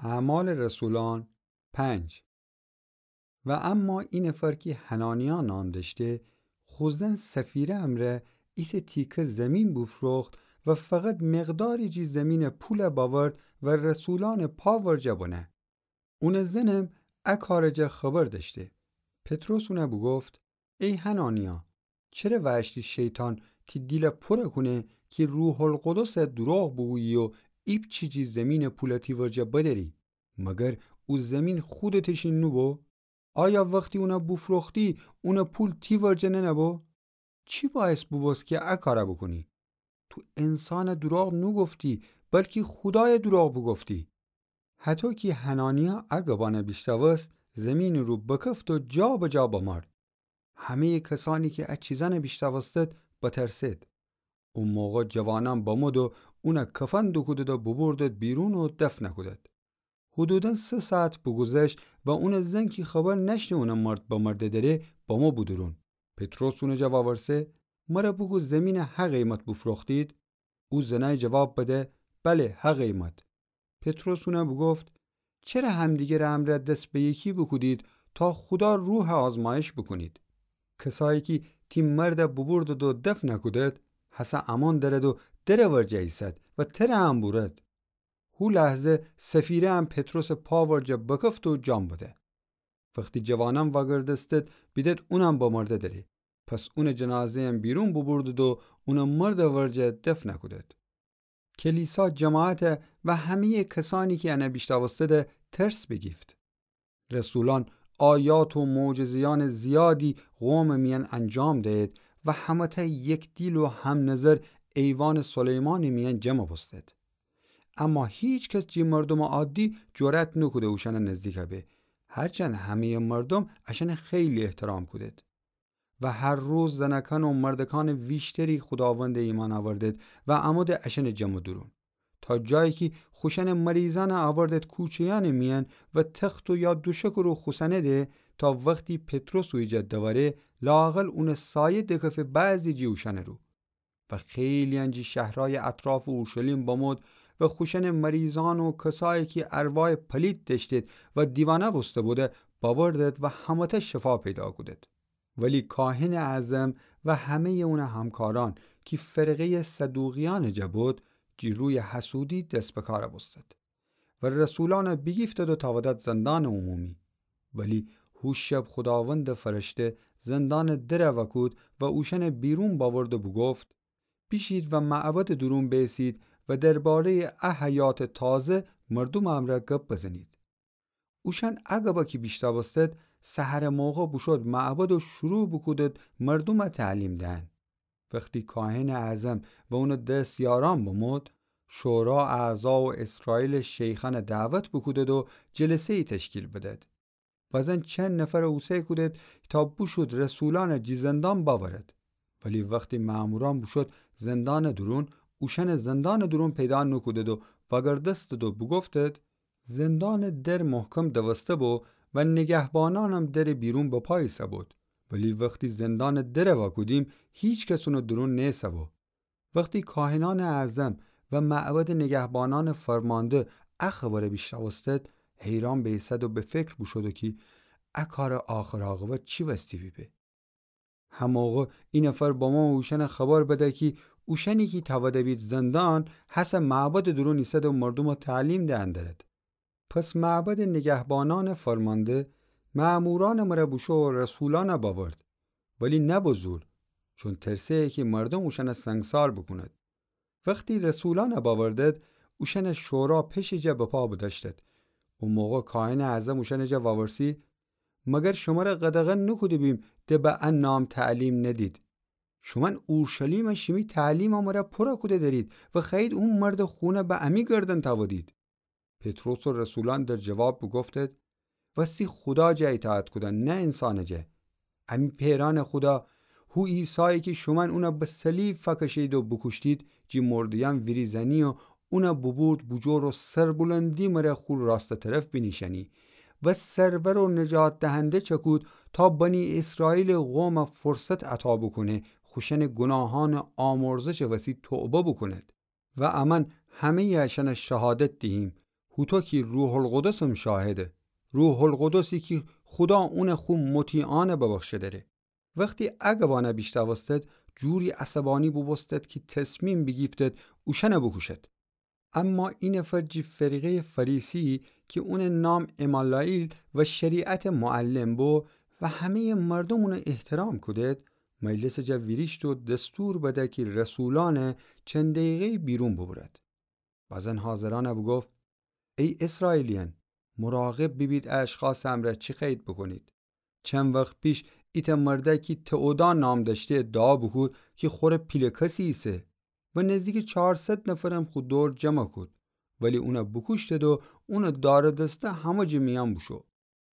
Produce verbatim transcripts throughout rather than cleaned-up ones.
اعمال رسولان پنج. و اما اینفر کی حنانیا نام دأشته، خو زن سفیره امرأ ایتأ تیکه زمین بوفروخت و فقط مقداری جی زمینٚ پول بأورد و رسولأنٚ پا ورجه بنه. اونٚ زنم ا کارٚ جا خبر دأشته. پطرس اونه بوگفت: ای حنانیا، چره وأشتی شیطان تی دیل پور کونه کی روح‌القدس دروغ بوگویی و ایپچی جی زمینٚ پول تی ورجه بدأری؟ مگر او زمین خودتٚ شین نوبو؟ آیا وختی اون بوفروختی، اونٚ پول تی ورجه ننبو؟ چی باعث بوبوست کی ا کار بوکونی؟ تو انسانٚ دروغ نوگفتی، بلکی خودایٚ دروغ بوگفتی. هطو کی حنانیا ا گبأن بیشنوست، زمینٚ رو بکفت و جا به جا بمرد. همه‌یٚ کسأنی کی ا چیزأن بیشنوستد، بترسد. او موقع جوانأن بمود و اون کفن دوکودد و ببردد بیرون و دفن کودد. حدوداً سه ساعت بوگوذشت و اونٚ زن کی خبر نأشته اونٚ مرد بمرده دره، بمو بودورون. پطرس اونٚ جا وأورسه: مر بوگو زمین هه قیمت بوفروختید؟ او زنأی جواب بده: بله، هه قیمت. پطرس اون بوگفت: چره همدیگر امرأ دس به یکی بوکودید تا خودا روح آزمایش بوکونید؟ کسأیی کی تی مرد بوبردد و دفن کودد، هسه امان دأرد و در ورجه ایسد و تر هم بورد. هو لحظه سفیره هم پطرسٚ پا ورجه بکفت و جان بده. وختی جوانأن وأگردستد، بیدد اونم بمرده دره. پس اونٚ جنازه‌یم بیرون ببردد و اونٚ مرد ورجه دفن کودد. کلیسا جماعت و همه‌یٚ کسأنی کی ان بیشنوستد ترس بیگیفت. رسولأن آیات و معجزه‌یأنٚ زیادی قومٚ میأن انجام دهید و همه‌تأ یک دیل و هم‌نظر ایوانٚ سلیمانٚ میأن جمع بوستد. اما هیکس جی مردومٚ عادی جرأت نوکوده اوشأنٚ نزدیک به، هرچند همه‌یٚ مردوم اشأنٚ خیلی احترام کودد. و هر روز زنکأن و مردکأنٚ ویشتری خوداوند ایمأن اوردد و امودد اشأنٚ جمع دورون. تا جایی کی خوشأنٚ مریضأن اوردد کوچه‌یأنٚ میأن و تخت و یا دوشکٚ رو خوسأنیدی، تا وختی پطرس اویجا دوأره، لااقل اونٚ سایه دکفه بعضی جی اوشأنٚ رو. و خیلیأن جی شهرأیٚ اطرافٚ اورشلیم بمود و خوشأنٚ مریضأن و کسأیی کی ارواحٚ پلیت دأشتید و دیوانه بوسته بوده، بأوردد و همه‌تأ شفا پیدا کودد. ولی کاهنٚ اعظم و همه‌یٚ اونٚ همکارأن کی فرقه‌یٚ صدوقیأنٚ جا بود، جی رویٚ حسودی دس به کار بوستد. و رسولأن بیگیفتد و تأودد زندانٚ عمومی. ولی هو شب خوداوندٚ فرشته زندانٚ در وأکود و اوشأن بیرون بأورد و بوگفت: بیشید و معبدٚ دورون بیسید و درباره‌یٚ ا حیاتٚ تازه مردومٚ امرأ گب بزنید. اوشأن ا گب کی بیشنوستد، سحرٚ موقع بوشود معبد و شروع بوکودد مردوم تعلیم دهن. وختی کاهنٚ اعظم و اونٚ دستیارأن بمود، شورا اعضا و اسرائیلٚ شیخأن دعوت بوکودد و جلسه‌یی تشکیل بدد. بزن چند نفر اوسه کودد تا بوشود رسولأن جی زندان بأورد. ولی وختی مأمورأن بوشود زندانٚ دورون، اوشأن زندانٚ دورون پیدا نوکودد و وأگردستد و بوگفتد: زندانٚ در محکم دوسته بو و نگهبانأنم درٚ بیرون بپا ایسه بود. ولی وختی زندانٚ در وأکودیم، هیکس اونٚ دورون نیسه بو. وختی کاهنأنٚ اعظم و معبدٚ نگهبانأنٚ فرمانده ا خبر بیشنوستد، حیران بیسد و به فکر بوشود کی ا کارٚ آخر عاقبت چی وستی بیبه. هموقع ای نفر بمو اوشأن خبر بده کی اوشأنی کی تأوده بید زندان، هسه معبدٚ دورون ایسد و مردوم تعلیم دهن درد. پس معبدٚ نگهبانأنٚ فرمانده مأمورأنٚ مره بوشو رسولأن بأورد، ولی نه به زور، چون ترسه کی مردوم اوشأن سنگسار بوکوند. وختی رسولأن بأوردد، اوشأن شورا پشٚ جا بپا بدأشتد. او موقع کاهنٚ اعظم اوشأنٚ جا وأورسی: مگر شمر قدغن نوکوده بیم ده به ا نام تعلیم ندید؟ شومأن اورشلیم شیمی تعلیم مره پور کوده درید و خوأیید او مردٚ خون به امی گردن تأودید. پطرس و رسولأن در جواب بوگفتد: وستی خودا جا ایطاعت کودن، نه انسانٚ جا. امی پئرأنٚ خودا، هو عیسایی کی شومأن اون به صلیب فکشید و بوکوشتید، جی مرده‌یأن ویریزأنی و اون بوبورد بوجور و سربلندی مره خو راستٚ طرف بینیشأنی و سرور و نجات دهنده چکود تا بنی اسرائیلٚ قوم فرصت عطا بوکونه خوشأنٚ گوناهأنٚ آمرزشٚ وسی توبه بوکوند. و امأن همه‌یٚ اشأن شهادت دیهیم، هوطو کی روح‌القدسم شاهده، روح‌القدسی کی خودا اونه خو مطیعأنه ببخشه دأره. وختی ا گبأنه بیشنوستد، جوری عصبأنی بوبوستد کی تصمیم بیگیفتد اوشأنه بوکوشد. اما ای نفر جی فرقه‌یٚ فریسی کی اونٚ نام عمالائیل و شریعتٚ معلم بو و همه‌یٚ مردوم اونه احترام کودد، مجلسٚ جا ویریشت و دستور بده کی رسولأنه چند دقیقه‌یی بیرون بوبرد. بزن حاضرأنه بوگفت: ای اسرائیلیأن، مراقب بیبید ا اشخاصٚ امرأ چی خأیید بوکونید. چند وخت پیش ایتأ مردأکی تئودا نام دأشته ادعا بوکود کی خوره پیله کسی ایسه و نزدیکٚ چارصد نفرم خو دور جمع کود، ولی اونه بوکوشتد و اونٚ دار و دسته همه جٚه میأن بوشو.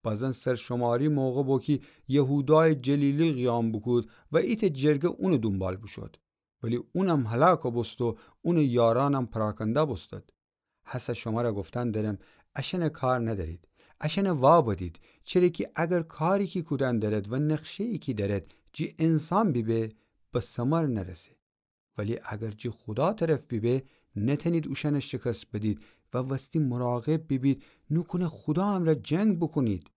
بزن سرشماری موقع بو کی یهودایٚ جلیلی قیام بوکود و ایتأ جرگه اونٚ دونبال بوشود. ولی اونم هلاک بوست و اونٚ یارأنم پراکنده بوستد. هسه شمره گفتن درم، اشأنه کار ندأرید، اشأنه وا بدید، چره کی اگر کاری کی کودن درد و نقشه‌یی کی درد جی انسان بیبه، به ثمر نرسه. ولی اگر جی خودا طرف بیبه، نتأنید اوشأنه شکست بدید و وستی مراقب بیبید، نوکونه خودا امرأ جنگ بوکونید.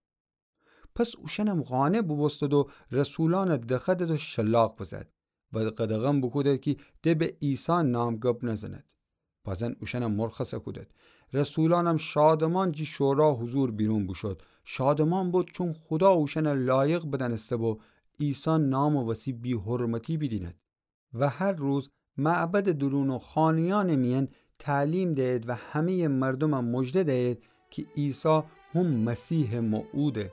پس اوشأنم قانع بوبوستد و رسولأنه دخدد و شلاق بزد و قدغن بوکودد کی ده به عیسی نام گب نزند. بزن اوشأنم مرخص کودد. رسولأنم شادمان جی شورا حضور بیرون بوشد. شادمان بود چون خودا اوشأنه لایق بدأنسته بو عیسی نامٚ وسی بی‌حرمتی بیدیند. و هر روز معبدٚ دورون و خانه‌یأنٚ میأن تعلیم دئید و همه‌یٚ مردومه مژده دئید کی عیسی هم مسیحٚ موعوده.